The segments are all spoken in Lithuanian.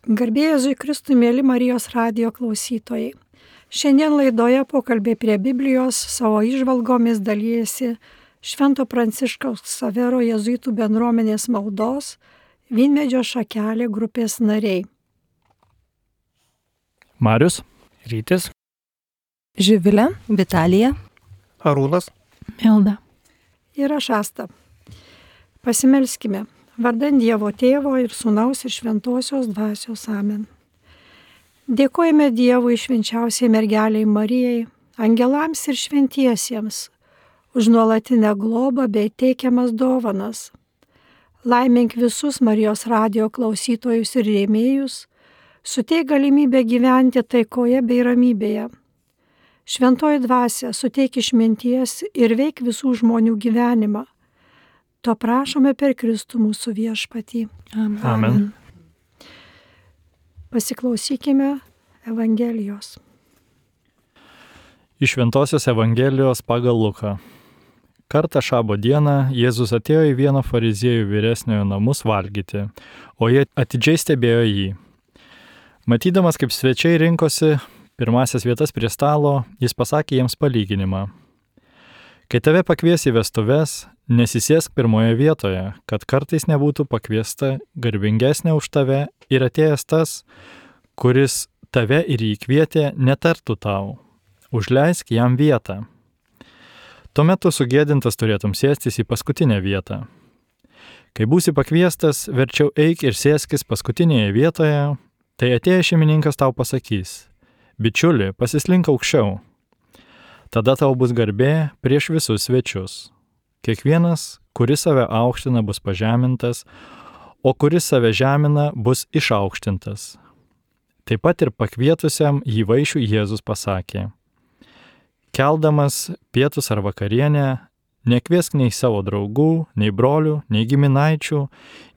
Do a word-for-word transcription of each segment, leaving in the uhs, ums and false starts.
Garbė Jėzui Kristui, mėly Marijos radijo klausytojai. Šiandien laidoje pokalbė prie Biblijos savo įžvalgomis dalyjasi Švento Pranciškaus Ksavero jėzuitų bendruomenės maldos Vynmedžio šakelė grupės nariai. Marius, Rytis, Živilė, Vitalija, Arūnas, Milda ir aš Asta. Pasimelskime. Vardan Dievo Tėvo ir Sūnaus ir Šventosios Dvasios. Amen. Dėkojame Dievui švenčiausiai mergeliai Marijai, angelams ir šventiesiems, už nuolatinę globą bei teikiamas dovanas. Laimink visus Marijos radijo klausytojus ir rėmėjus, suteik galimybę gyventi taikoje bei ramybėje. Šventoji Dvasia, suteik išminties ir veik visų žmonių gyvenimą. To prašome per Kristų mūsų viešpatį. Amen. Amen. Pasiklausykime Evangelijos. Iš Šventosios Evangelijos pagal Luką. Kartą šabo dieną Jėzus atėjo į vieno fariziejų vyresniojo namus valgyti, o jie atidžiai stebėjo jį. Matydamas, kaip svečiai rinkosi pirmasias vietas prie stalo, jis pasakė jiems palyginimą. Kai tave pakvies į vestuves, nesisėsk pirmoje vietoje, kad kartais nebūtų pakviesta garbingesnė už tave ir atėjęs tas, kuris tave ir jį kvietė, netartų tau. Užleisk jam vietą. Tuomet tu sugėdintas turėtum sėstis į paskutinę vietą. Kai būsi pakviestas, verčiau eik ir sėskis paskutinėje vietoje, tai atėjęs šeimininkas tau pasakys: bičiuli, pasislink aukščiau. Tada tau bus garbė prieš visus svečius. Kiekvienas, kuris save aukština, bus pažemintas, o kuris save žemina, bus išaukštintas. Taip pat ir pakvietusiam jį vaišių Jėzus pasakė: keldamas pietus ar vakarienę, nekviesk nei savo draugų, nei brolių, nei giminaičių,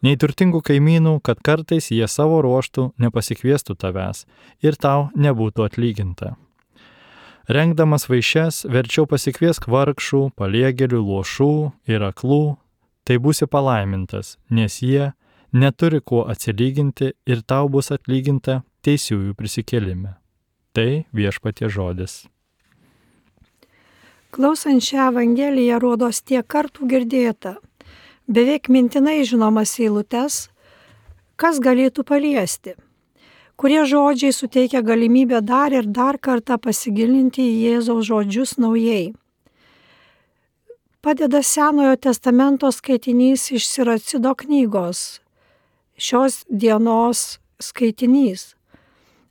nei turtingų kaimynų, kad kartais jie savo ruoštų nepasikviestų tavęs ir tau nebūtų atlyginta. Rengdamas vaišes, verčiau pasikviesk vargšų, paliegėlių, luošų ir aklų, tai būsi palaimintas, nes jie neturi kuo atsilyginti ir tau bus atlyginta teisiųjų prisikėlime. Tai Viešpaties žodis. Klausant šią Evangeliją rodos tiek kartų girdėta, beveik mintinai žinomas eilutes, kas galėtų paliesti, kurie žodžiai suteikia galimybę dar ir dar kartą pasigilinti į Jėzaus žodžius naujai. Padeda Senojo testamento skaitinys iš Siracido knygos, šios dienos skaitinys.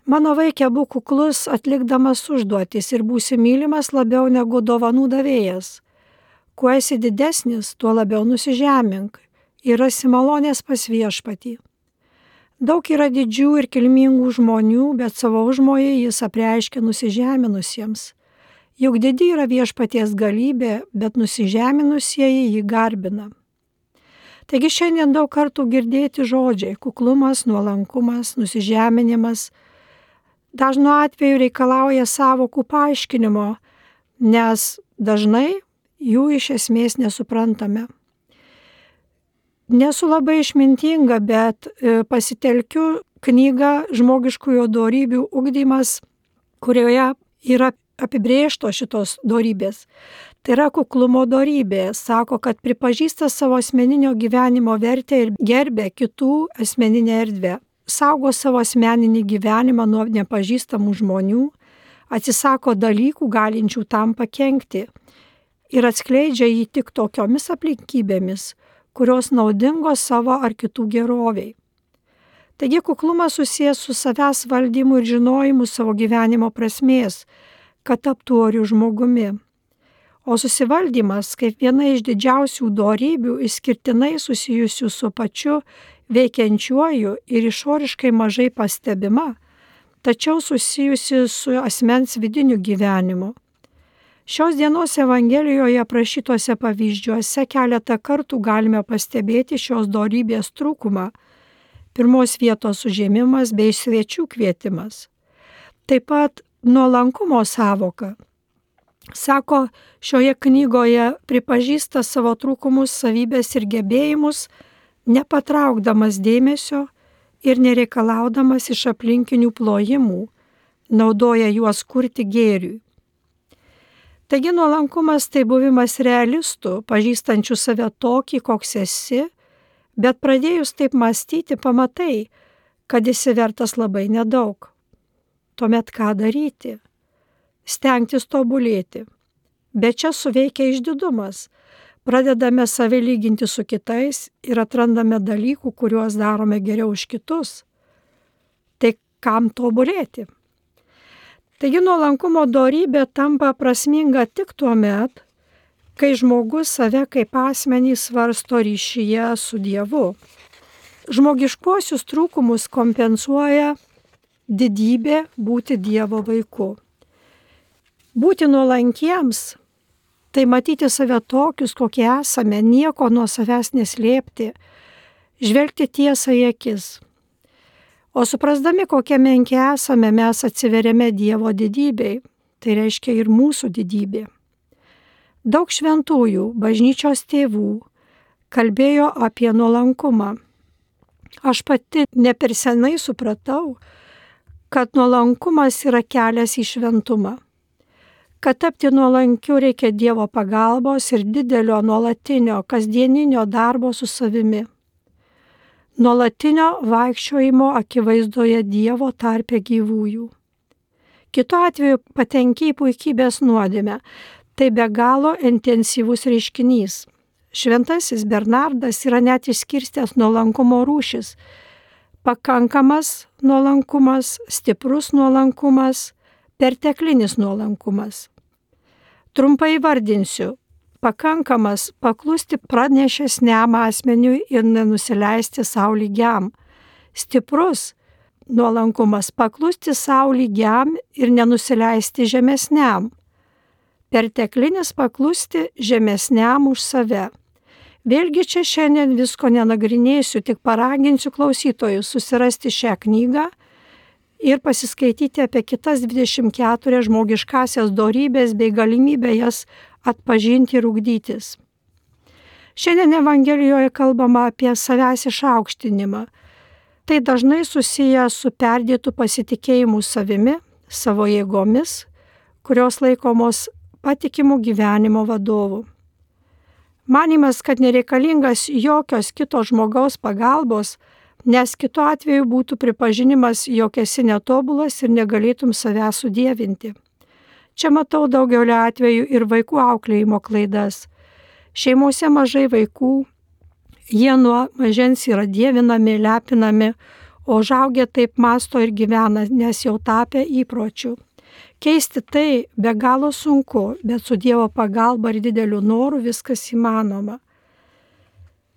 Mano vaike, būk kuklus, atlikdamas užduotis ir būsi mylimas labiau negu dovanų davėjas. Kuo esi didesnis, tuo labiau nusižemink ir rasi malonės pas Viešpatį. Daug yra didžių ir kilmingų žmonių, bet savo užmojai jis apreiškia nusižeminusiems. Juk didi yra Viešpaties galybė, bet nusižeminusieji jį garbina. Taigi šiandien daug kartų girdėti žodžiai – kuklumas, nuolankumas, nusižeminimas – dažnu atveju reikalauja sąvokų paaiškinimo, nes dažnai jų iš esmės nesuprantame. Nesu labai išmintinga, bet pasitelkiu knygą Žmogiškųjų dorybių ugdymas, kurioje yra apibrėžtos šitos dorybės. Tai yra kuklumo dorybė. Sako, kad pripažįsta savo asmeninio gyvenimo vertę ir gerbia kitų asmeninę erdvę. Saugo savo asmeninį gyvenimą nuo nepažįstamų žmonių, atsisako dalykų galinčių tam pakenkti ir atskleidžia jį tik tokiomis aplinkybėmis, kurios naudingos savo ar kitų geroviai. Taigi kuklumas susijęs su savęs valdymu ir žinojimu savo gyvenimo prasmės, kad taptų oriu žmogumi. O susivaldymas, kaip viena iš didžiausių dorybių, išskirtinai susijusių su pačiu veikiančiuoju ir išoriškai mažai pastebima, tačiau susijusi su asmens vidiniu gyvenimu. Šios dienos Evangelijoje aprašytuose pavyzdžiuose keletą kartų galime pastebėti šios dorybės trūkumą, pirmos vietos užėmimas bei svečių kvietimas. Taip pat nuolankumo sąvoka. Sako, šioje knygoje pripažįsta savo trūkumus, savybės ir gebėjimus, nepatraukdamas dėmesio ir nereikalaudamas iš aplinkinių plojimų, naudoja juos kurti gėriui. Taigi nuolankumas tai buvimas realistų, pažįstančių save tokį, koks esi, bet pradėjus taip mąstyti, pamatai, kad esi vertas labai nedaug. Tuomet ką daryti? Stengtis tobulėti. Bet čia suveikia išdidumas. Pradedame save lyginti su kitais ir atrandame dalykų, kuriuos darome geriau už kitus. Tai kam tobulėti? Taigi nuolankumo dorybė tampa prasminga tik tuo met, kai žmogus save kaip asmenį svarsto ryšyje su Dievu. Žmogiškuosius trūkumus kompensuoja didybė būti Dievo vaiku. Būti nuolankiems – tai matyti save tokius, kokie esame, nieko nuo savęs neslėpti, žvelgti tiesą į akis. O suprasdami, kokie menki esame, mes atsiveriame Dievo didybei, tai reiškia ir mūsų didybė. Daug šventųjų, bažnyčios tėvų kalbėjo apie nuolankumą. Aš pati ne per senai supratau, kad nuolankumas yra kelias į šventumą. Kad tapti nuolankiu reikia Dievo pagalbos ir didelio nuolatinio, kasdieninio darbo su savimi. Nuolatinio vaikščiojimo akivaizdoje Dievo tarpe gyvųjų. Kitu atveju patenki į puikybės nuodėmę. Tai be galo intensyvus reiškinys. Šventasis Bernardas yra net išskirstęs nuolankumo rūšis. Pakankamas nuolankumas, stiprus nuolankumas, perteklinis nuolankumas. Trumpai vardinsiu. Pakankamas paklusti pranešesniam asmeniui ir nenusileisti sau lygiam. Stiprus nuolankumas paklusti sau lygiam ir nenusileisti žemesniam. Perteklinis paklusti žemesniam už save. Vėlgi čia šiandien visko nenagrinėsiu, tik paraginsiu klausytojus susirasti šią knygą ir pasiskaityti apie kitas dvidešimt keturias žmogiškasias dorybės bei galimybę jas atpažinti ir ugdytis. Šiandien Evangelijoje kalbama apie savęs išaukštinimą. Tai dažnai susiję su perdėtu pasitikėjimu savimi, savo jėgomis, kurios laikomos patikimų gyvenimo vadovų. Manimas, kad nereikalingas jokios kito žmogaus pagalbos, nes kitu atveju būtų pripažinimas, jog esi netobulas ir negalėtum savęs sudievinti. Čia matau daugelio atveju ir vaikų auklėjimo klaidas. Šeimose mažai vaikų, jie nuo mažens yra dievinami, lepinami, o užaugę taip mąsto ir gyvena, nes jau tapę įpročių. Keisti tai be galo sunku, bet su Dievo pagalba ir dideliu noru viskas įmanoma.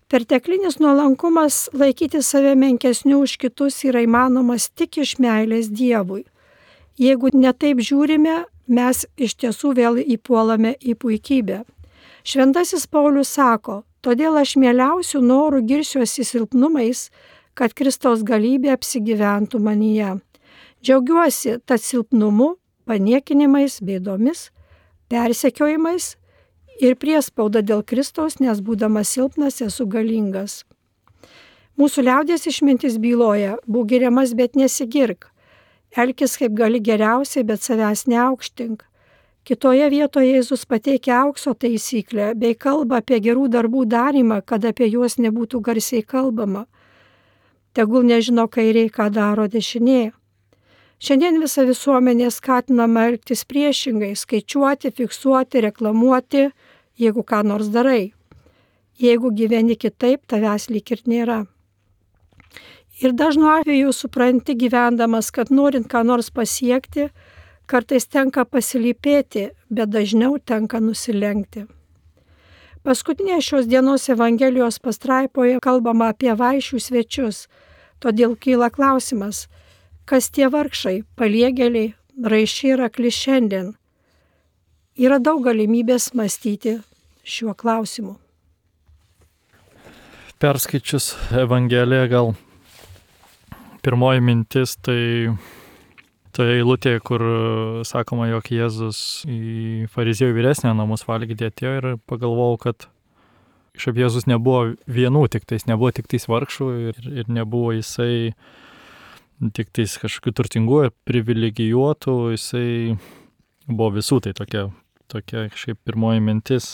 Perteklinis nuolankumas laikyti save menkesniu už kitus yra įmanomas tik iš meilės Dievui. Jeigu netaip žiūrime, mes iš tiesų vėl įpuolame į puikybę. Šventasis Paulius sako, todėl aš mieliausių norų girsiuosi silpnumais, kad Kristaus galybė apsigyventų manyje. Džiaugiuosi tad silpnumu, paniekinimais, bėdomis, persekiojimais ir priespauda dėl Kristaus, nes būdamas silpnas esu galingas. Mūsų liaudies išmintis byloja, būk giriamas, bet nesigirk. Elkis kaip gali geriausiai, bet savęs neaukštink. Kitoje vietoje Jėzus pateikia aukso taisyklę bei kalba apie gerų darbų darymą, kad apie juos nebūtų garsiai kalbama. Tegul nežino kairiai, ką daro dešinė. Šiandien visa visuomenė skatinama elgtis priešingai, skaičiuoti, fiksuoti, reklamuoti, jeigu ką nors darai. Jeigu gyveni kitaip, tavęs lyg ir nėra. Ir dažnu atveju supranti gyvendamas, kad norint ką nors pasiekti, kartais tenka pasilypėti, bet dažniau tenka nusilenkti. Paskutinė šios dienos Evangelijos pastraipoje kalbama apie vaišių svečius, todėl kyla klausimas, kas tie vargšai, paliegėliai, raiščiai ir akli šiandien. Yra daug galimybės mąstyti šiuo klausimu. Perskaičius Evangeliją gal pirmoji mintis tai, tai eilutė, kur sakoma, jog Jėzus į fariziejų vyresnio namus valgyti atėjo ir pagalvojau, kad Šiaip Jėzus nebuvo vienų, tik tais nebuvo tik tais vargšų ir, ir nebuvo jisai tik tais kažkokių turtingų ir privilegijuotų, jisai buvo visų, tai tokia, tokia šiaip pirmoji mintis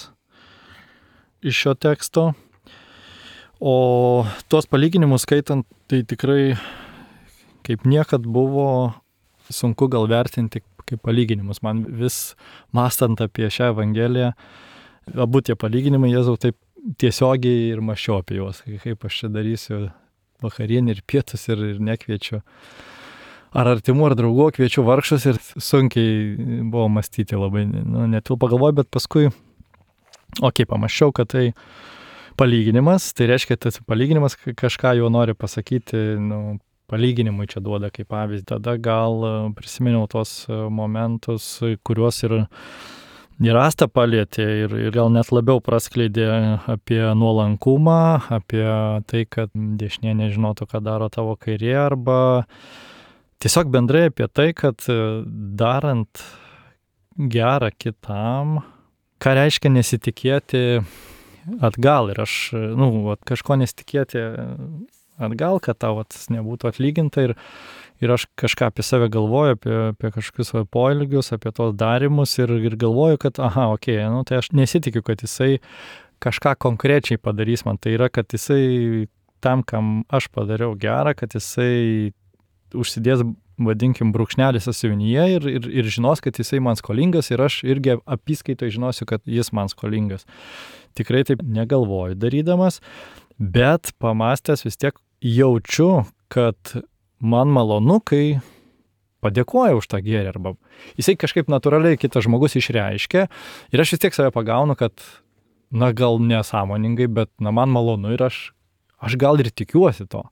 iš šio teksto. O tuos palyginimus skaitant, tai tikrai kaip niekad buvo sunku gal vertinti kaip palyginimus. Man vis mąstant apie šią Evangeliją, abu tie palyginimai Jėzau taip tiesiogiai ir mąsčiau apie juos, kaip aš čia darysiu vakarienį ir pietus ir, ir nekviečiu ar artimų, ar draugų, kviečiu vargšus ir sunkiai buvo mąstyti labai, nu, netil pagalvoju, bet paskui, okei, pamaščiau, kad tai palyginimas, tai reiškia, tas palyginimas kažką jau nori pasakyti, nu, palyginimui čia duoda kaip pavyzdį, tada gal prisiminiau tos momentus, kuriuos ir Ir Asta palėtė ir, ir gal net labiau praskleidė apie nuolankumą, apie tai, kad dešinė nežinotų, ką daro tavo kairė, arba tiesiog bendrai apie tai, kad darant gerą kitam, ką reiškia nesitikėti atgal. Ir aš, nu, kažko nesitikėti atgal, kad tau nebūtų atlyginta ir Ir aš kažką apie save galvoju, apie, apie kažkokius poelgius, apie tos darimus ir, ir galvoju, kad, aha, okei, okay, nu, tai aš nesitikiu, kad jisai kažką konkrečiai padarys man. Tai yra, kad jisai tam, kam aš padariau gerą, kad jisai užsidės, vadinkim, brūkšnelį sąsiuvinyje ir, ir, ir žinos, kad jisai man skolingas ir aš irgi apyskaitoj žinosiu, kad jis man skolingas. Tikrai taip negalvoju darydamas, bet pamastęs vis tiek jaučiu, kad man malonu, kai padėkoja už tą gėrį, arba jisai kažkaip natūraliai kitas žmogus išreiškia ir aš vis tiek save pagaunu, kad, na, gal nesąmoningai, bet, na, man malonu ir aš, aš gal ir tikiuosi to.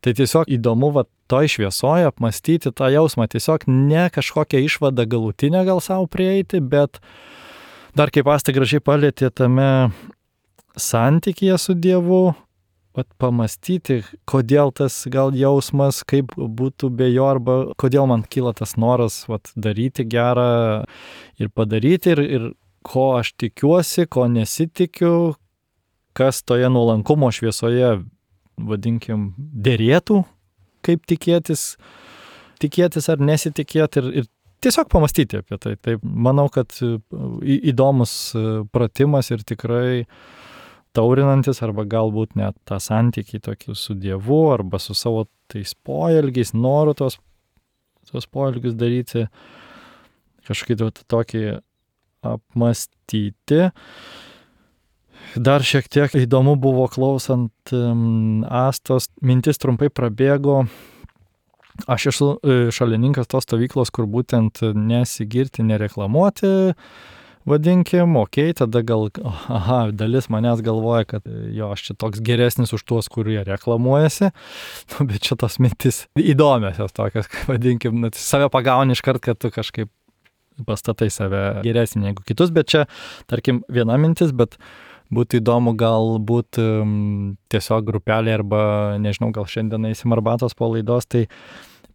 Tai tiesiog įdomu, va, toj šviesoje apmastyti tą jausmą, tiesiog ne kažkokią išvadą galutinę gal savo prieiti, bet dar kaip Asta gražiai palėtė tame santykyje su Dievu, Vat pamastyti, kodėl tas gal jausmas, kaip būtų be jo, arba kodėl man kyla tas noras vat, daryti gerą ir padaryti, ir, ir ko aš tikiuosi, ko nesitikiu, kas toje nuolankumo šviesoje, vadinkim, dėrėtų, kaip tikėtis, tikėtis ar nesitikėti, ir, ir tiesiog pamastyti apie tai. Tai manau, kad įdomus pratimas ir tikrai taurinantis, arba galbūt net tą santykį tokį su Dievu, arba su savo tais poelgiais, noru tos, tos poelgius daryti, kažkaip tokį apmastyti. Dar šiek tiek įdomu buvo klausant um, Astos, mintis trumpai prabėgo. Aš esu šalininkas tos stovyklos, kur būtent nesigirti, nereklamuoti, vadinkim, okei, okay, tada gal, aha, dalis manęs galvoja, kad jo, aš čia toks geresnis už tuos, kurie reklamuojasi, nu, bet čia tos mintis įdomiosios tokios, vadinkim, nu, save pagauni iškart, kad tu kažkaip pastatai save geresnį negu kitus, bet čia, tarkim, viena mintis, bet būtų įdomu galbūt um, tiesiog grupelė arba, nežinau, gal šiandien eisim arbatos po laidos, tai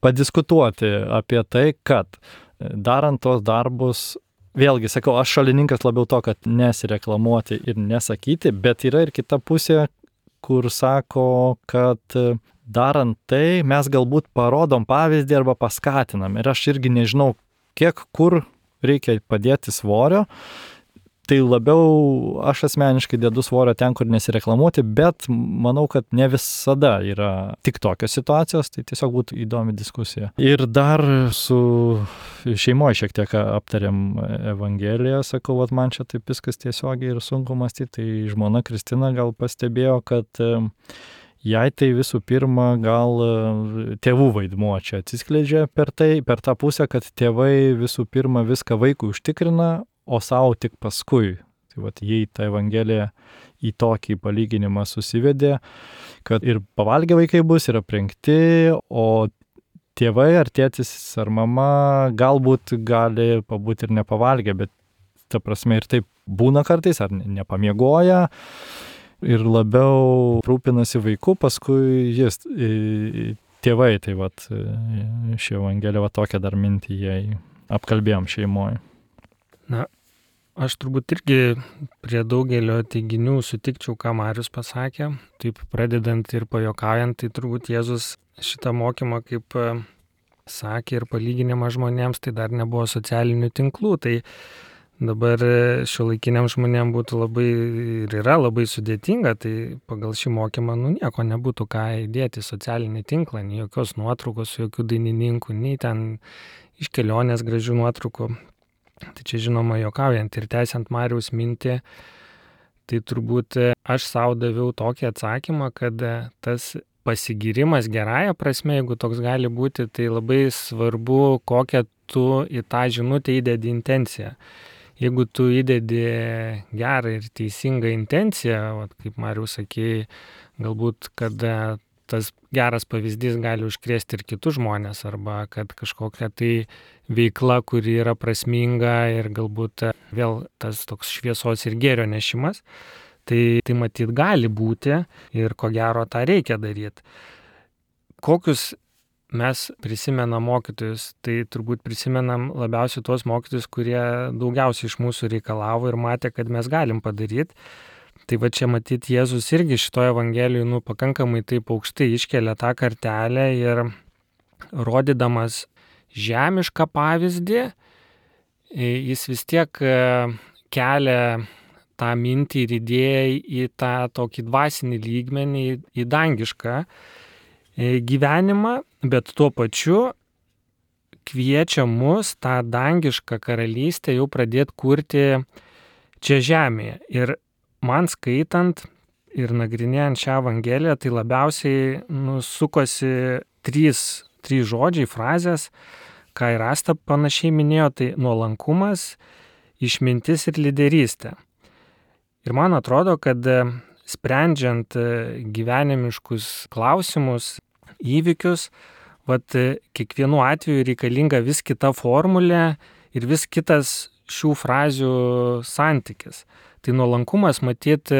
padiskutuoti apie tai, kad darant tos darbus, vėlgi, sakau, aš šalininkas labiau to, kad nesireklamuoti ir nesakyti, bet yra ir kita pusė, kur sako, kad darant tai mes galbūt parodom pavyzdį arba paskatinam. Ir aš irgi nežinau, kiek kur reikia padėti svorio. Tai labiau aš asmeniškai dedu svorio ten, kur nesireklamuoti, bet manau, kad ne visada yra tik tokios situacijos, tai tiesiog būtų įdomi diskusija. Ir dar su šeimoje šiek tiek aptarėm Evangeliją, sakau, vat man čia taip viskas tiesiogiai ir sunku mąstyti, tai žmona Kristina gal pastebėjo, kad jai tai visų pirma gal tėvų vaidmuo čia atsiskleidžia per tai, per tą pusę, kad tėvai visų pirma viską vaikui užtikrina, o savo tik paskui. Tai vat, jei ta Evangelija į tokį palyginimą susivedė, kad ir pavalgę vaikai bus, ir aprengti, o tėvai ar tėtis ar mama galbūt gali pabūti ir nepavalgę, bet ta prasme ir taip būna kartais, ar nepamiegoja, ir labiau rūpinasi vaiku, paskui jis, tėvai, tai vat, ši Evangelija, va tokią dar mintį jai apkalbėjom šeimoje. Na, Aš turbūt irgi prie daugelio teiginių sutikčiau, ką Marius pasakė. Taip pradedant ir pajuokaujant, tai turbūt Jėzus šitą mokymą, kaip sakė ir palyginimą žmonėms, tai dar nebuvo socialinių tinklų. Tai dabar šiuolaikiniam žmonėm būtų labai ir yra labai sudėtinga, tai pagal šį mokymą nu, nieko nebūtų ką įdėti į socialinį tinklą, nei jokios nuotraukos, jokių dainininkų, nei ten iš kelionės gražių nuotraukų. Tai čia žinoma juokaujant ir tęsiant Mariaus mintį, tai turbūt aš savo daviau tokį atsakymą, kad tas pasigyrimas gerąja prasme, jeigu toks gali būti, tai labai svarbu, kokią tu į tą žinutę įdedi intenciją. Jeigu tu įdedi gerą ir teisingą intenciją, vat, kaip Marius sakė, galbūt, kad tas geras pavyzdys gali užkrėsti ir kitus žmonės, arba kad kažkokia tai veikla, kuri yra prasminga ir galbūt vėl tas toks šviesos ir gėrio nešimas, tai, tai matyt gali būti ir ko gero tą reikia daryti. Kokius mes prisimenam mokytojus, tai turbūt prisimenam labiausiai tuos mokytojus, kurie daugiausiai iš mūsų reikalavo ir matė, kad mes galim padaryti. Tai va čia matyti Jėzus irgi šitoje Evangelijoje nu, pakankamai taip aukštai iškelia tą kartelę ir rodydamas žemišką pavyzdį, jis vis tiek kelia tą mintį ir idėją į tą tokį dvasinį lygmenį, į dangišką gyvenimą, bet tuo pačiu kviečia mus tą dangišką karalystę jau pradėti kurti čia žemėje. Ir man skaitant ir nagrinėjant šią Evangeliją, tai labiausiai nu, sukosi trys, trys žodžiai, frazės, ką ir Asta panašiai minėjo, tai nuolankumas, išmintis ir lyderystė. Ir man atrodo, kad sprendžiant gyvenimiškus klausimus, įvykius, vat, kiekvienu atveju reikalinga vis kita formulė ir vis kitas šių frazių santykis. Tai nuolankumas, matyt,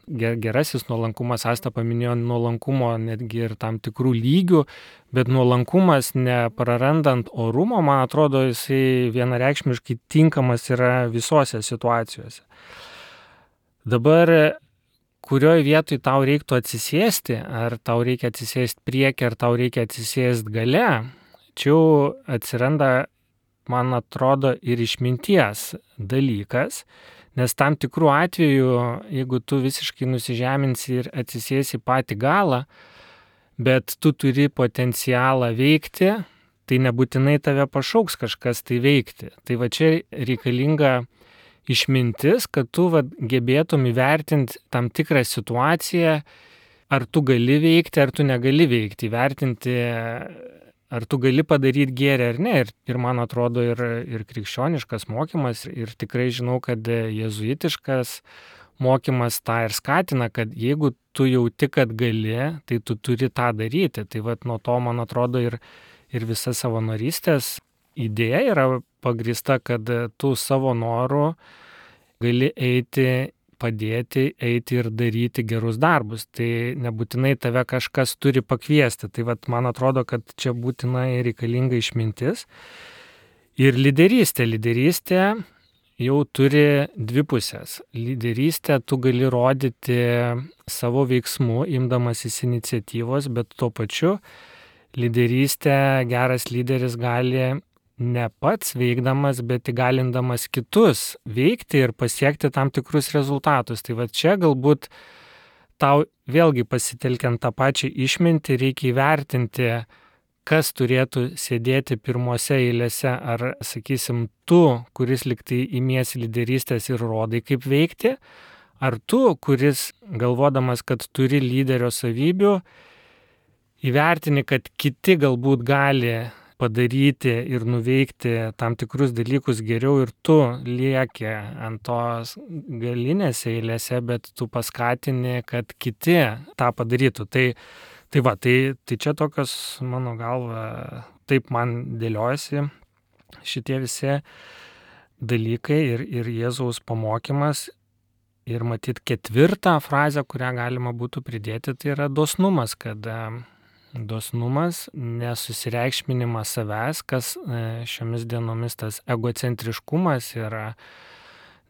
gerasis nuolankumas, Asta paminėjo nuolankumo netgi ir tam tikrų lygių, bet nuolankumas neprarandant orumo, man atrodo, jisai vienareikšmiškai tinkamas yra visose situacijose. Dabar, kurioje vietoj tau reiktų atsisėsti, ar tau reikia atsisėsti priekį, ar tau reikia atsisėsti gale, čia jau atsiranda, man atrodo, ir išminties dalykas. Nes tam tikrų atveju, jeigu tu visiškai nusižeminsi ir atsisėsi patį galą, bet tu turi potencialą veikti, tai nebūtinai tave pašauks kažkas tai veikti. Tai va čia reikalinga išmintis, kad tu va, gebėtum įvertinti tam tikrą situaciją, ar tu gali veikti, ar tu negali veikti, įvertinti, ar tu gali padaryti gėrį ar ne. Ir, ir man atrodo ir, ir krikščioniškas mokymas, ir tikrai žinau, kad jėzuitiškas mokymas tą ir skatina, kad jeigu tu jauti, kad gali, tai tu turi tą daryti. Tai vat nuo to, man atrodo, ir, ir visa savanorystės idėja yra pagrįsta, kad tu savo noru gali eiti, padėti, eiti ir daryti gerus darbus. Tai nebūtinai tave kažkas turi pakviesti. Tai vat, man atrodo, kad čia būtinai reikalinga išmintis. Ir lyderystė. Lyderystė jau turi dvi pusės. Lyderystę tu gali rodyti savo veiksmu, imdamasis iniciatyvos, bet tuo pačiu lyderystę geras lyderis gali ne pats veikdamas, bet įgalindamas kitus veikti ir pasiekti tam tikrus rezultatus. Tai va čia galbūt tau vėlgi pasitelkiant tą pačią išmintį reikia įvertinti, kas turėtų sėdėti pirmose eilėse, ar, sakysim, tu, kuris liktai imiesi lyderystės ir rodai, kaip veikti, ar tu, kuris galvodamas, kad turi lyderio savybių, įvertini, kad kiti galbūt gali padaryti ir nuveikti tam tikrus dalykus geriau ir tu lieki ant tos galinės eilėse, bet tu paskatini, kad kiti tą padarytų. Tai, tai va, tai, tai čia tokios, mano galva, taip man dėliojasi šitie visi dalykai ir, ir Jėzaus pamokymas. Ir matyt ketvirtą frazę, kurią galima būtų pridėti, tai yra dosnumas, kad dosnumas, nesusireikšminimas savęs, kas šiomis dienomis tas egocentriškumas yra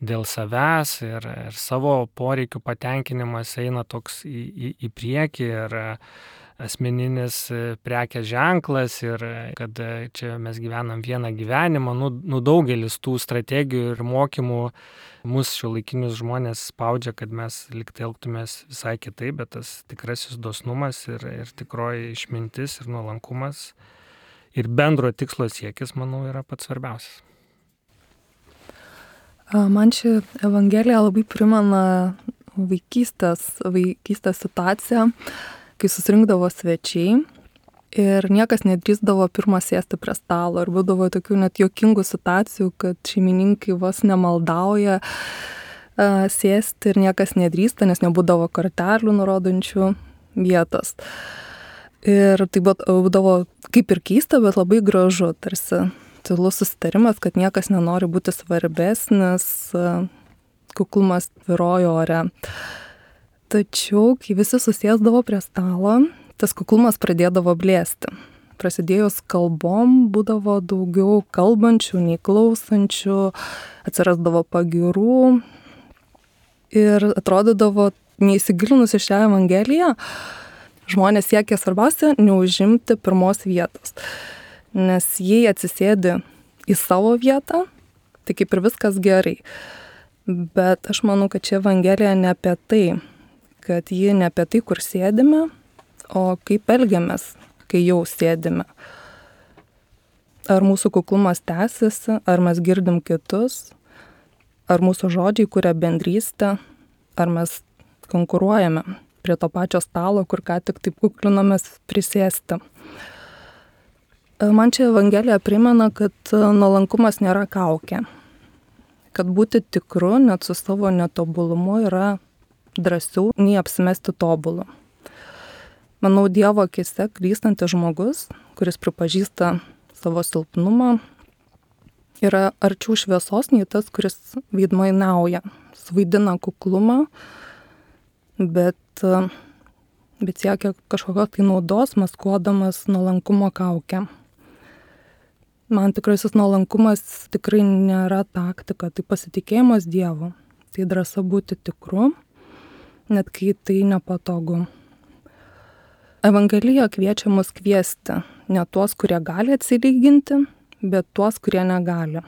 dėl savęs ir, ir savo poreikių patenkinimas eina toks į, į, į priekį ir asmeninis prekės ženklas ir kad čia mes gyvenam vieną gyvenimą, nu, nu daugelis tų strategijų ir mokymų mus šiuolaikinius žmonės spaudžia, kad mes liktai elgtumės visai kitaip, bet tas tikrasis dosnumas ir, ir tikroji išmintis ir nuolankumas ir bendro tikslo siekis, manau, yra pats svarbiausias. Man ši Evangelija labai primena vaikystės, vaikystės situaciją, kai susirinkdavo svečiai ir niekas nedrįsdavo pirmą sėsti prie stalo. Ir būdavo tokių net juokingų situacijų, kad šeimininkai vos nemaldauja a, sėsti ir niekas nedrįsta, nes nebūdavo kortelių nurodančių vietos. Ir tai būdavo kaip ir keista, bet labai gražu, tarsi tylus susitarimas, kad niekas nenori būti svarbesnis, a, kuklumas tvyrojo ore. Tačiau, kai visi susėsdavo prie stalo, tas kuklumas pradėdavo blėsti. Prasidėjus kalbom būdavo daugiau kalbančių nei klausančių, atsirasdavo pagyrų ir atrodydavo, neįsigilinus į šią Evangeliją, žmonės siekia svarbiausia neužimti pirmos vietos. Nes jei atsisėdi į savo vietą, tai kaip ir viskas gerai. Bet aš manau, kad čia Evangelija ne apie tai, kad ji ne apie tai, kur sėdime, o kaip elgiamės, kai jau sėdime. Ar mūsų kuklumas tęsiasi, ar mes girdim kitus, ar mūsų žodžiai kuria bendrystę, ar mes konkuruojame prie to pačio stalo, kur ką tik taip kuklinomės prisėsti. Man čia Evangelija primena, kad nuolankumas nėra kaukė. Kad būti tikru net su savo netobulumu yra drąsiau nei apsimesti tobulu. Manau, Dievo akise klystantis žmogus, kuris pripažįsta savo silpnumą, yra arčiau šviesos nei tas, kuris veidmainiauja, suvaidina kuklumą, bet, bet siekia kažkokios tai naudos, maskuodamas nuolankumo kaukę. Man tikrasis nuolankumas tikrai nėra taktika, tai pasitikėjimas Dievu, tai drąsa būti tikru, net kai tai nepatogu. Evangelija kviečia mus kviesti ne tuos, kurie gali atsilyginti, bet tuos, kurie negali.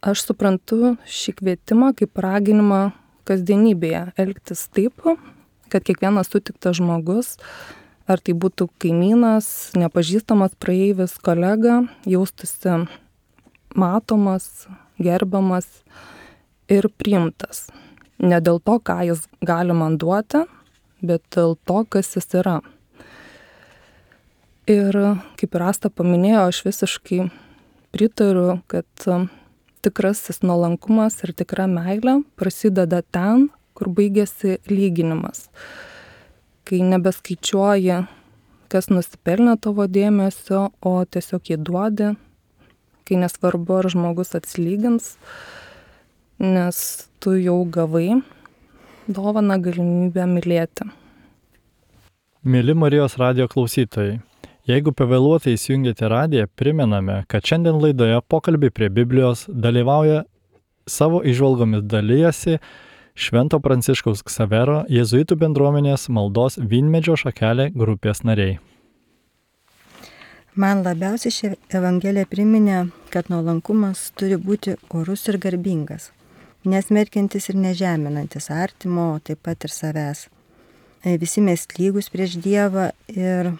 Aš suprantu šį kvietimą kaip raginimą kasdienybėje elgtis taip, kad kiekvienas sutiktas žmogus, ar tai būtų kaimynas, nepažįstamas praeivis, kolega, jaustųsi matomas, gerbiamas ir priimtas. Ne dėl to, ką jis gali man duoti, bet dėl to, kas jis yra. Ir kaip ir Asta paminėjo, aš visiškai pritariu, kad tikrasis nuolankumas ir tikra meilė prasideda ten, kur baigėsi lyginimas. Kai nebeskaičiuoji, kas nusipelnė tavo dėmesio, o tiesiog jį duodi, kai nesvarbu, ar žmogus atsilygins, nes tu jau gavai dovaną galimybę mylėti. Mėly Marijos radijo klausytojai, jeigu pavėluotai įsijungėte radiją, primename, kad šiandien laidoje Pokalbiai prie Biblijos dalyvauja savo įžvalgomis dalijasi Švento Pranciškaus Ksavero jėzuitų bendruomenės maldos Vynmedžio šakelė grupės nariai. Man labiausiai ši Evangelija priminė, kad nuolankumas turi būti orus ir garbingas, nesmerkiantis ir nežeminantis artimo, taip pat ir savęs. Visi mes lygus prieš Dievą ir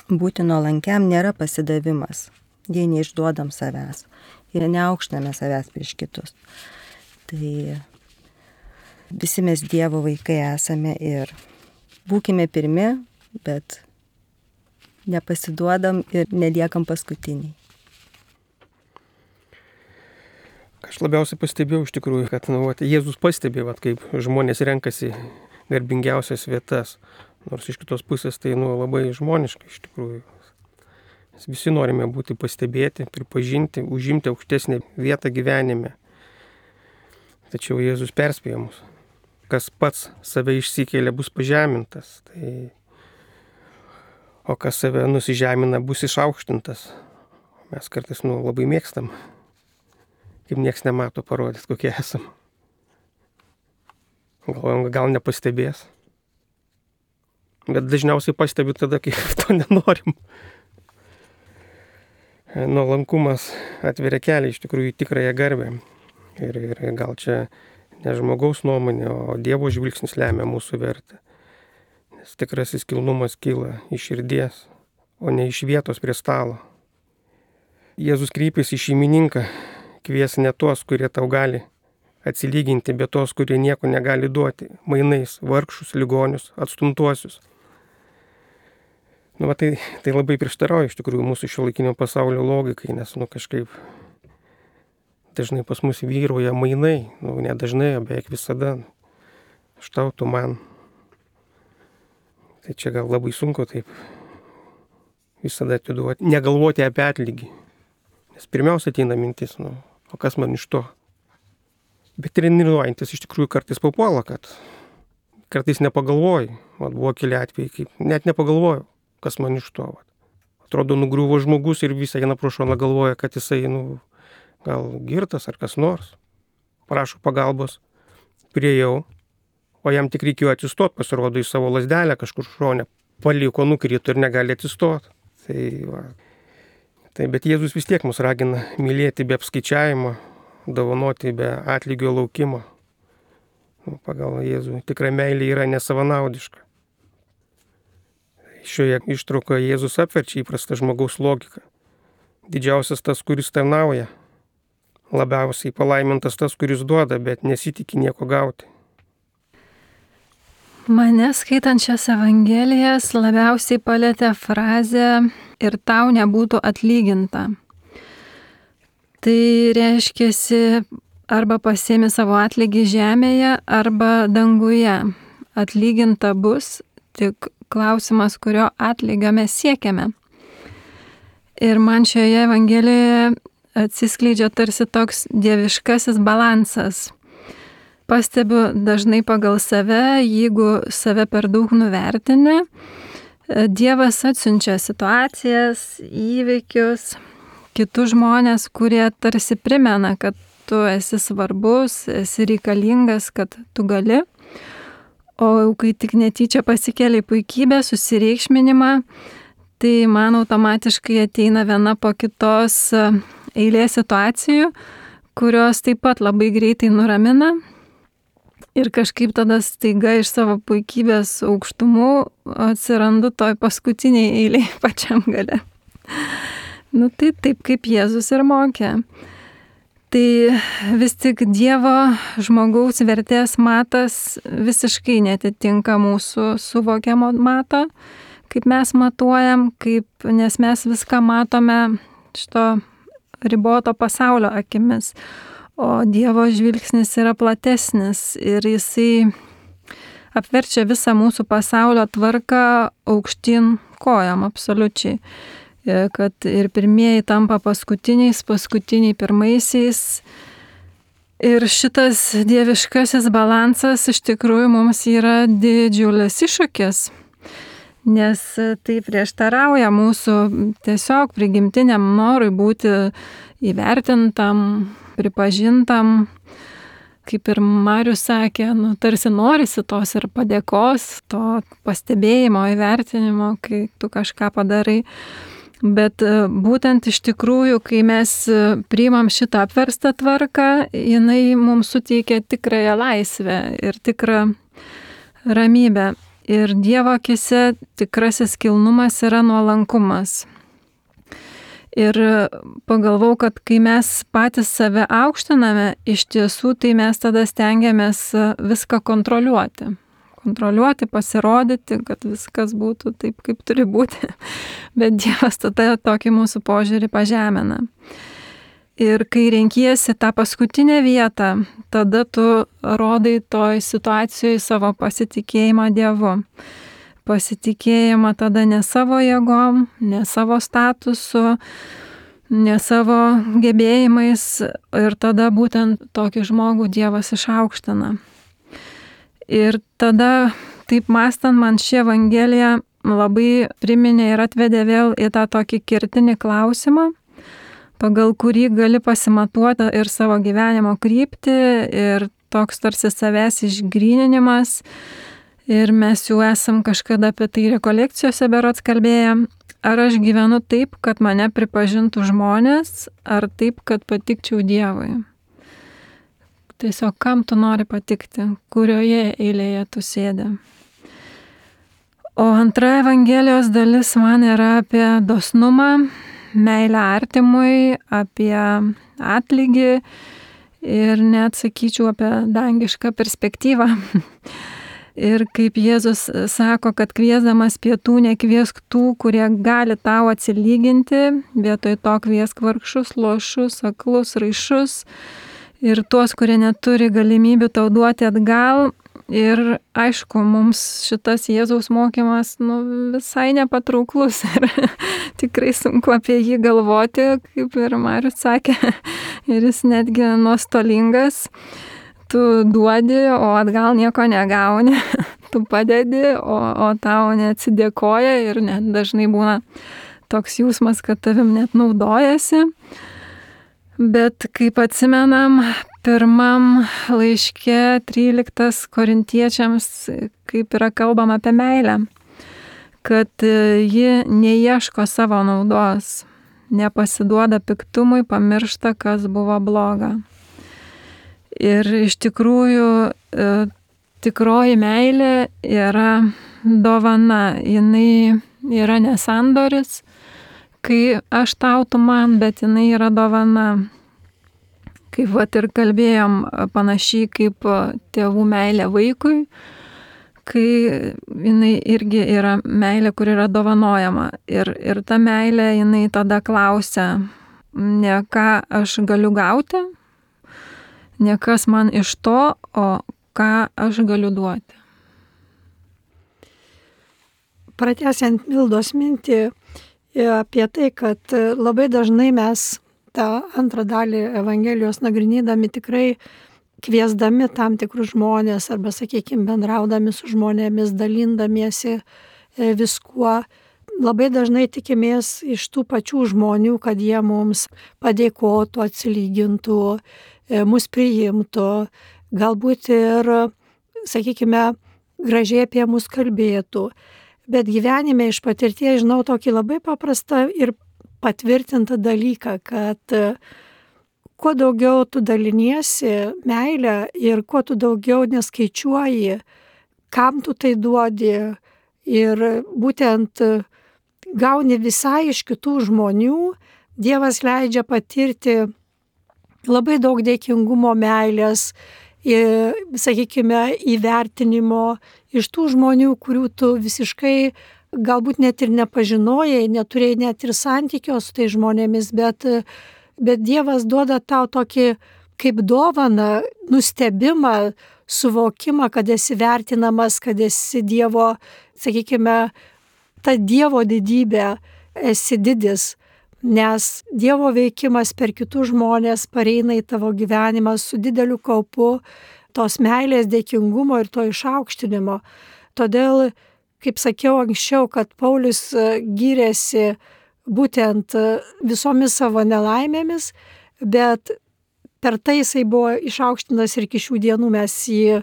būti nuolankiam nėra pasidavimas, jei neišduodam savęs ir neaukštiname savęs prieš kitus. Tai visi mes Dievo vaikai esame ir būkime pirmi, bet nepasiduodam ir neliekam paskutiniai. Aš labiausiai pastebėjau iš tikrųjų, kad nu, vat, Jėzus pastebė, vat, kaip žmonės renkasi garbingiausias vietas. Nors iš kitos pusės tai nu, labai žmoniška iš tikrųjų. Mes visi norime būti pastebėti, pripažinti, užimti aukštesnę vietą gyvenime. Tačiau Jėzus perspėja mus. Kas pats save išsikėlė, bus pažemintas. Tai... O kas save nusižemina, bus išaukštintas. Mes kartais nu, labai mėgstam kaip nieks nemato, parodyti, kokie esam. Gal, gal nepastebės. Bet dažniausiai pastebiu tada, kai to nenorim. Nuolankumas atveria kelią iš tikrųjų į tikrąją garbę. Ir, ir gal čia ne žmogaus nuomonė, o Dievo žvilgsnis lemia mūsų vertę. Nes tikrasis kilnumas kyla iš širdies, o ne iš vietos prie stalo. Jėzus kreipėsi į šeimininką, kvies ne tuos, kurie tau gali atsilyginti, bet tos, kurie nieko negali duoti, mainais, vargšus, ligonius, atstumtuosius. Nu, va, tai, tai labai prieštarauja iš tikrųjų mūsų šiuolaikinio pasaulio logikai, nes nu, kažkaip dažnai pas mus vyrauja mainai, nu, ne dažnai, beveik visada, aš tau, tu man. Tai čia gal labai sunku taip visada atiduoti, negalvoti apie atlygį. Nes pirmiausia ateina mintis, nu, o kas man iš to? Bet treniruojantis iš tikrųjų kartais papuola, kad kartais nepagalvoju. Vat buvo keli atvejai, kaip net nepagalvojau, kas man iš to. Vat. Atrodo, nugriuvo žmogus ir visą eina pro šoną galvoja, kad jisai, nu, gal girtas ar kas nors. Prašo pagalbos, priejau, o jam tik reikėjo atsistot, pasirodo į savo lazdelę kažkur šonę, paliko, nukrito ir negali atsistot. Tai, va. Tai, bet Jėzus vis tiek mus ragina mylėti be apskaičiavimo, dovanoti be atlygio laukimo. Nu, pagal Jėzų tikra meilė yra nesavanaudiška. Šioje ištraukoje Jėzus apverčia įprastą žmogaus logiką. Didžiausias tas, kuris tarnauja. Labiausiai palaimintas tas, kuris duoda, bet nesitikė nieko gauti. Mane skaitant šias evangelijas labiausiai palėtė frazė ir tau nebūtų atlyginta. Tai reiškiasi arba pasiemi savo atlygį žemėje, arba danguje. Atlyginta bus, tik klausimas, kurio atlygio mes siekiame. Ir man šioje evangelijoje atsiskleidžia tarsi toks dieviškasis balansas. Pastebiu dažnai pagal save, jeigu save per daug nuvertini, Dievas atsiunčia situacijas, įvykius, kitus žmonės, kurie tarsi primena, kad tu esi svarbus, esi reikalingas, kad tu gali. O kai tik netyčia pasikeli puikybę, susireikšminimą, tai man automatiškai ateina viena po kitos eilė situacijų, kurios taip pat labai greitai nuramina. Ir kažkaip tada staiga iš savo puikybės aukštumų atsirandu toj paskutiniai eiliai pačiam gale. Nu tai taip kaip Jėzus ir mokė. Tai vis tik Dievo žmogaus vertės matas visiškai netitinka mūsų suvokiamo mato, kaip mes matuojam, kaip, nes mes viską matome šito riboto pasaulio akimis. O Dievo žvilgsnis yra platesnis ir jisai apverčia visą mūsų pasaulio tvarką aukštyn kojam absoliučiai. Kad ir pirmieji tampa paskutiniais, paskutiniai pirmaisiais. Ir šitas dieviškasis balansas iš tikrųjų mums yra didžiulis iššūkis, nes tai prieštarauja mūsų tiesiog prigimtiniam norui būti įvertintam, pripažintam. Kaip ir Marius sakė, nu, tarsi norisi tos ir padėkos, to pastebėjimo, įvertinimo, kai tu kažką padarai. Bet būtent iš tikrųjų, kai mes priimam šitą apverstą tvarką, jinai mums suteikia tikrąją laisvę ir tikrą ramybę. Ir Dievo akise tikrasis kilnumas yra nuolankumas. Ir pagalvau, kad kai mes patys save aukštiname, iš tiesų tai mes tada stengiamės viską kontroliuoti. Kontroliuoti, pasirodyti, kad viskas būtų taip, kaip turi būti. Bet Dievas tada tokį mūsų požiūrį pažemina. Ir kai renkiesi tą paskutinę vietą, tada tu rodai toj situacijoje savo pasitikėjimą Dievu. Pasitikėjimą tada ne savo jėgom, ne savo statusu, ne savo gebėjimais. Ir tada būtent tokį žmogų Dievas išaukština. Ir tada, taip mąstant, man ši evangelija labai priminė ir atvedė vėl į tą tokį kertinį klausimą, pagal kurį gali pasimatuoti ir savo gyvenimo kryptį, ir toks tarsi savęs išgryninimas. Ir mes jau esam kažkada apie tai rekolekcijose berods kalbėję. Ar aš gyvenu taip, kad mane pripažintų žmonės, ar taip, kad patikčiau Dievui? Tiesiog kam tu nori patikti, kurioje eilėje tu sėdi. O antra Evangelijos dalis man yra apie dosnumą, meilę artimui, apie atlygį ir net sakyčiau apie dangišką perspektyvą. Ir kaip Jėzus sako, kad kviesdamas pietų nekviesk tų, kurie gali tau atsilyginti, vietoj to kviesk vargšus, lošus, aklus, raišus ir tuos, kurie neturi galimybių tau duoti atgal. Ir aišku, mums šitas Jėzaus mokymas nu, visai nepatrauklus ir tikrai sunku apie jį galvoti, kaip ir Marius sakė, ir jis netgi nuostolingas. Tu duodi, o atgal nieko negauni, tu padedi, o, o tau neatsidėkoja ir net dažnai būna toks jausmas, kad tavim net naudojasi. Bet kaip atsimenam, pirmam laiške tryliktas Korintiečiams, kaip yra kalbama apie meilę, kad ji neieško savo naudos, nepasiduoda piktumui, pamiršta, kas buvo bloga. Ir iš tikrųjų tikroji meilė yra dovana, jinai yra nesandoris, kai aš tau, tu man, bet jinai yra dovana. Kaip vat ir kalbėjom, panašiai kaip tėvų meilė vaikui, kai jinai irgi yra meilė, kur yra dovanojama. Ir, ir ta meilė, jinai tada klausia, ne ką aš galiu gauti, ne kas man iš to, o ką aš galiu duoti. Pratęsiant Mildos mintį apie tai, kad labai dažnai mes tą antrą dalį Evangelijos nagrinėdami tikrai kviesdami tam tikrus žmonės arba, sakykime, bendraudami su žmonėmis, dalindamiesi viskuo, labai dažnai tikimės iš tų pačių žmonių, kad jie mums padėkotų, atsilygintų, mus priimtų, galbūt ir, sakykime, gražiai apie mus kalbėtų. Bet gyvenime iš patirties žinau tokį labai paprastą ir patvirtintą dalyką, kad kuo daugiau tu daliniesi meilę ir kuo tu daugiau neskaičiuoji, kam tu tai duodi ir būtent gauni visai iš kitų žmonių, Dievas leidžia patirti labai daug dėkingumo, meilės, ir, sakykime, įvertinimo iš tų žmonių, kurių tu visiškai galbūt net ir nepažinojai, neturėjai net ir santykio su tai žmonėmis, bet, bet Dievas duoda tau tokį kaip dovaną, nustebimą, suvokimą, kad esi vertinamas, kad esi Dievo, sakykime, ta Dievo didybė, esi didis. Nes Dievo veikimas per kitus žmonės pareina į tavo gyvenimą su dideliu kaupu tos meilės, dėkingumo ir to išaukštinimo. Todėl, kaip sakiau anksčiau, kad Paulius gyrėsi būtent visomis savo nelaimėmis, bet per tai jisai buvo išaukštinas ir iki šių dienų mes jį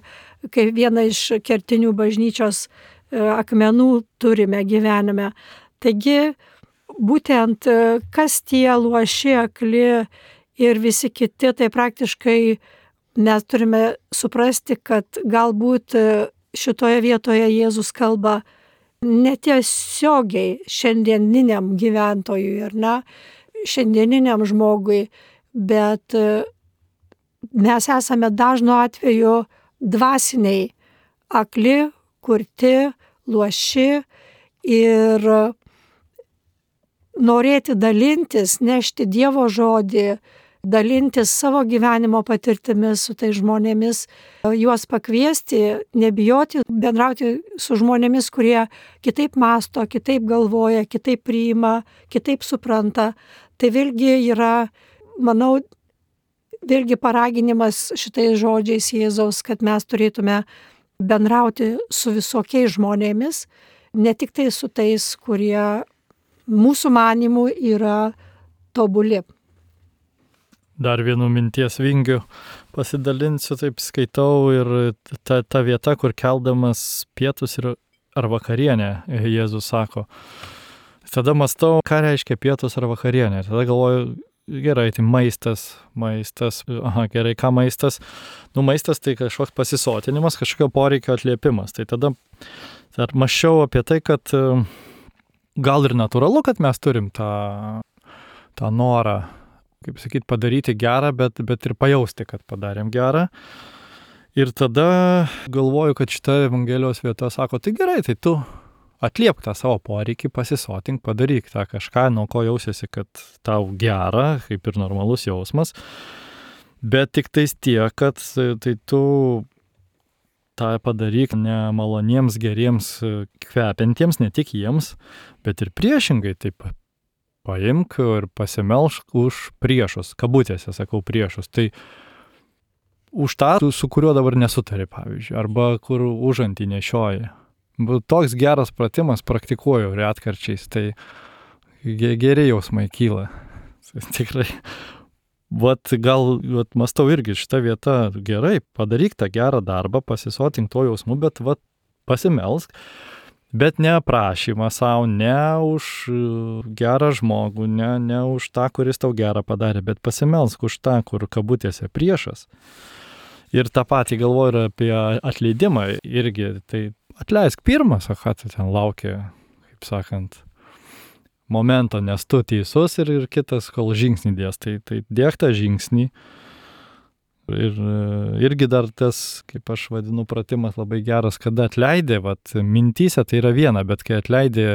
kaip vieną iš kertinių bažnyčios akmenų turime gyvenime. Taigi, būtent kas tie luoši, akli ir visi kiti, tai praktiškai mes turime suprasti, kad galbūt šitoje vietoje Jėzus kalba netiesiogiai šiandieniniam gyventojui, ar ne, šiandieniniam žmogui, bet mes esame dažnu atveju dvasiniai, akli, kurti, luoši ir norėti dalintis, nešti Dievo žodį, dalintis savo gyvenimo patirtimis su tai žmonėmis, juos pakviesti, nebijoti bendrauti su žmonėmis, kurie kitaip masto, kitaip galvoja, kitaip priima, kitaip supranta. Tai vėlgi yra, manau, vėlgi paraginimas šitais žodžiais Jėzaus, kad mes turėtume bendrauti su visokiais žmonėmis, ne tik tai su tais, kurie mūsų manimų yra tobuli. Dar vienu minties vingiu pasidalinsiu, taip skaitau ir ta, ta vieta, kur keldamas pietus ir, ar vakarienę, Jėzus sako. Tada mąstau, ką reiškia pietus ar vakarienė. Tada galvoju, gerai, tai maistas, maistas, aha, gerai, ką maistas? Nu, maistas tai kažkoks pasisotinimas, kažkokio poreikio atliepimas. Tai tada dar mąsčiau apie tai, kad gal ir natūralu, kad mes turim tą, tą norą, kaip sakyti, padaryti gerą, bet, bet ir pajausti, kad padarėm gerą. Ir tada galvoju, kad šita Evangelijos vieta sako, tai gerai, tai tu atliepk tą savo poreikį, pasisotink, padaryk tą kažką, nuo ko jausiesi, kad tau gera, kaip ir normalus jausmas. Bet tik tais tiek, kad tai tu tą padaryk ne maloniems, geriems, kvepiantiems, ne tik jiems, bet ir priešingai taip paimk ir pasimelšk už priešus, kabutėse sakau priešus. Tai už tą, su kuriuo dabar nesutari, pavyzdžiui, arba kur užantį nešioji. Toks geras pratimas praktikuoju retkarčiais, tai geri jausmai kyla. Tikrai. Vat gal, vat mąstau irgi šitą vietą, gerai, padaryk tą gerą darbą, pasisotink to jausmu, bet vat pasimelsk. Bet ne prašymą savo, ne už gerą žmogų, ne, ne už tą, kuris tau gerą padarė, bet pasimelsk už tą, kur kabutėse priešas. Ir tą patį galvoju ir apie atleidimą irgi. Tai atleisk pirmas, o ką tu ten laukia, kaip sakant, momento, nes tu teisus ir, ir kitas, kol žingsnį dės. Tai, tai dėk tą žingsnį. Ir irgi dar tas, kaip aš vadinu, pratimas labai geras, kada atleidė, vat, mintyse tai yra viena, bet kai atleidė,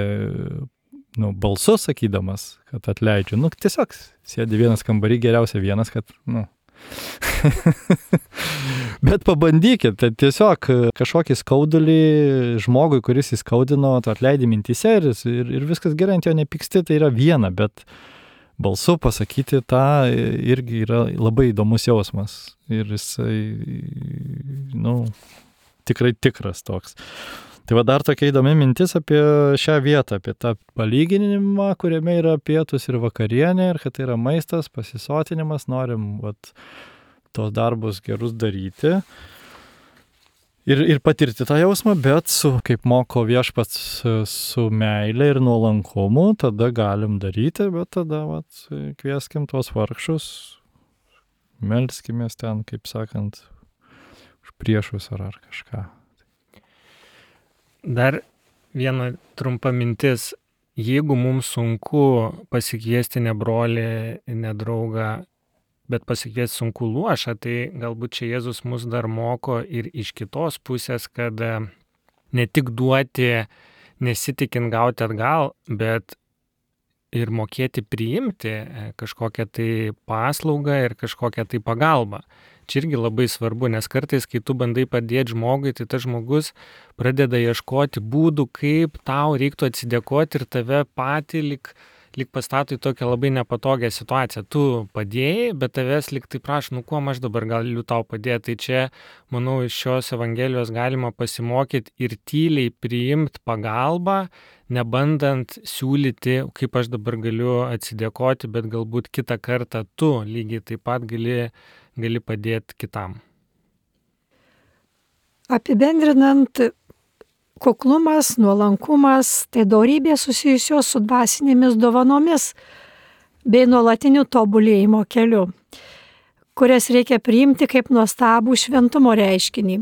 nu, balsu sakydamas, kad atleidžiu, nu, tiesiog sėdi vienas kambarį, geriausia vienas, kad, nu. Bet pabandykit, tai tiesiog kažkokį skaudulį žmogui, kuris įskaudino, tu atleidi mintyse ir, ir, ir viskas gerai, ant jo nepyksti, tai yra viena, bet balsu pasakyti tą irgi yra labai įdomus jausmas. Ir jisai, nu, tikrai tikras toks. Tai va dar tokia įdomi mintis apie šią vietą, apie tą palyginimą, kuriame yra pietus ir vakarienė, ir kad tai yra maistas, pasisotinimas, norim vat, tos darbus gerus daryti. Ir, ir patirti tą jausmą, bet su, kaip moko viešpats, su meilė ir nuolankumu, tada galim daryti, bet tada vat, kvieskim tuos vargšus, melskimės ten, kaip sakant, už priešus ar, ar kažką. Dar viena trumpa mintis. Jeigu mums sunku pasikviesti ne brolį, ne draugą, bet pasikviesti sunku luošą, tai galbūt čia Jėzus mus dar moko ir iš kitos pusės, kad ne tik duoti, nesitikint gauti atgal, bet ir mokėti priimti kažkokią tai paslaugą ir kažkokią tai pagalbą. Čia irgi labai svarbu, nes kartais, kai tu bandai padėti žmogui, tai tas žmogus pradeda ieškoti būdų, kaip tau reiktų atsidėkoti ir tave patį lik lyg pastato į tokią labai nepatogią situaciją. Tu padėjai, bet tavęs lyg tai prašo, nu kuo aš dabar galiu tau padėti. Tai čia, manau, iš šios Evangelijos galima pasimokyti ir tyliai priimti pagalbą, nebandant siūlyti, kaip aš dabar galiu atsidėkoti, bet galbūt kitą kartą tu lygiai taip pat gali, gali padėti kitam. Apibendrinant, kuklumas, nuolankumas, tai dorybė susijusios su dvasinėmis dovanomis bei nuolatiniu tobulėjimo keliu, kurias reikia priimti kaip nuostabų šventumo reiškinį.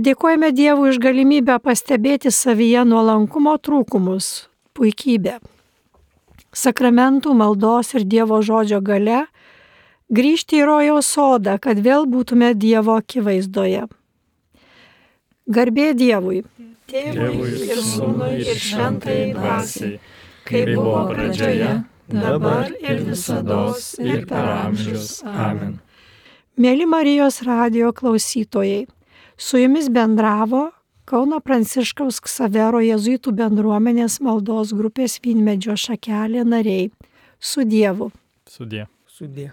Dėkojame Dievui už galimybę pastebėti savyje nuolankumo trūkumus, puikybę. Sakramentų, maldos ir Dievo žodžio galia grįžti į rojaus sodą, kad vėl būtume Dievo akivaizdoje. Garbė Dievui, Tėvui ir Sūnui ir Šventajai Dvasiai, kaip buvo pradžioje, dabar ir visados ir per amžius. Amen. Mėly Marijos radijo klausytojai, su jumis bendravo Kauno Pranciškaus Ksavero jėzuitų bendruomenės maldos grupės Vynmedžio šakelė nariai. Su Dievu. Sudie. Sudie.